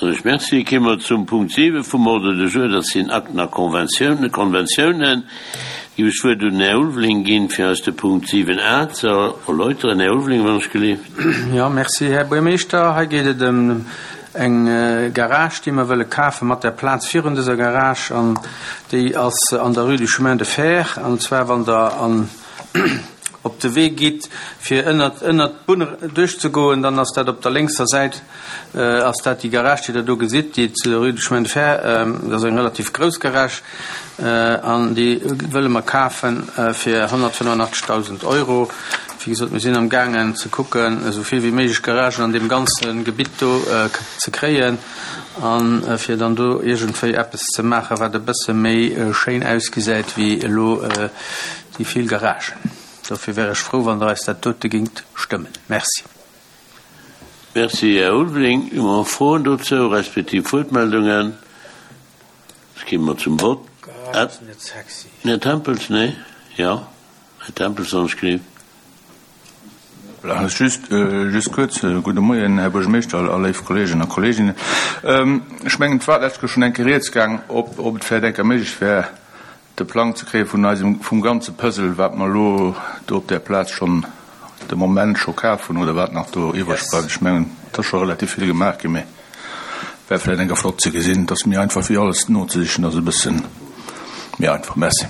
Ech merci. Kéime mer zum Punkt 7 vum Ordre du jour, dat sinn Akten a Konventiounen. Konventiounen. Géif ech d'Wuert un den Här Ulveling ginn, fir eis de Punkt 7 a ze erläuteren. Här Ulveling, wann ech gelift. Jo, merci, Här Buermeeschter. Hei geet et ëm eng Garage, déi mer wëlle kafe mat der Plaz virun dëser Garage. An déi ass an der Rue du Chemin de Fer. An zwar wann Der an op de Wee gitt, fir ënnert ënnert d'Bunn duerchzegoen, dann ass dat op der lénkser Säit ass dat déi Garage, déi Der do gesitt, déi zu der Rue du Chemin de Fer. Dat ass eng relativ grouss Garage an déi wëlle mer kafe fir 185.000 Euro. Wéi gesot, mir sinn am gaangen ze kucken, esou vill wéi méiglech Garagen an deem ganze Gebitt do ze kréien a fir dann do iergendwéi eppes ze maachen, wat e bësse méi schéin ausgesäit wéi elo déi vill Garagen. Dofir wär ech frou, wann Der eis dat dote géingt stëmmen. Merci. Merci, Här Ulveling. Hu mer Froen dozou, respektiv Wuertmeldungen? Da gi mer zum Vott. Här Tempels, nee? Jo, Här Tempels, wann ech gelift. Just, just kuerz. Gudde Moien, Här Buergermeeschter a léif Kolleegen a Kolleeginnen. Ech mengen, et war d'lescht Kéier schonn eng Kéier rieds gaang, ob, ob et vläicht eng Kéier méiglech wär, de Plang ze kréie vun eisem, vum ganze Puzzle, wat mer elo do op där Plaz schonn de Moment scho kaf hunn oder wat nach do iwwreg bleift. Ech mengen, et ass scho relativ vill gemaach ginn, mee wär vläicht eng Kéier flott ze gesinn. Et ass méi einfach wéi alles nozesichen, ass e bësse méi einfach. Merci.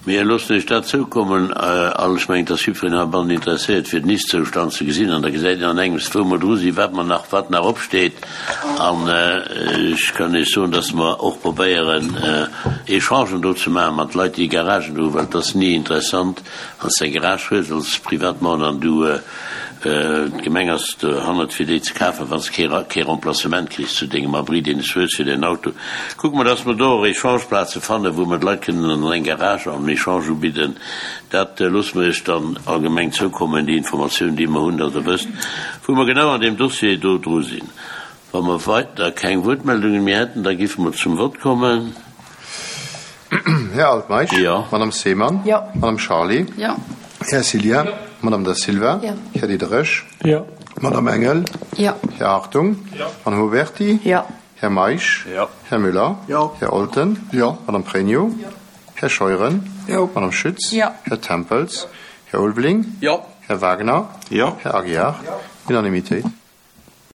Mir loossen Iech dat zoukommen. All, ech mengen, et ass jiddwereen heibannen interesséiert, fir den Ist-Zoustand ze gesinn. An da gesäit een an engems, wou mer dru sinn, wat mer nach, wat nach opsteet. An ech kann Iech soen, dass mer och probéieren, Echangen do ze maache mat Leit, déi Garagen do hunn, well et ass ni interessant, wann s de eng Garage hues als Privatmann an du, D'Gemeng ass dohannert fir déi ze kafen, wann s de kee Remplacement kriss zu dengem Abri deen s hues fir däin Auto. Kucke mer, dass mer do och Echangeplaze fannen, wou mer d'Leit kënnen an eng Garage an Echange ubidden. Dat loosse mer Iech dann allgemeng zoukommen, déi Informatioun déi mer hunn, dass Der wësst, wou mer genau an deem Dossier do dru sinn. Wa mer weider keng Wuertmeldungen méi hätten, da géife mer zum Vott kommen. Här Altmeisch? Jo. Madame Seemann? Jo. Madame Charlé? Jo. Här Cillien? Jo. Madame Da Silva? Jo. Här Diderich? Jo. Madame Engel? Jo. Här Hartung? Jo. Madame Huberty? Jo. Här Meisch? Jo. Här Müller? Jo. Här Olten? Jo. Madame Pregno? Jo. Här Scheuren? Jo. Madame Schütz? Jo. Här Tempels? Här Ulveling? Jo. Här Wagner? Jo. Här Aguiar? Jo. Unanimitéit.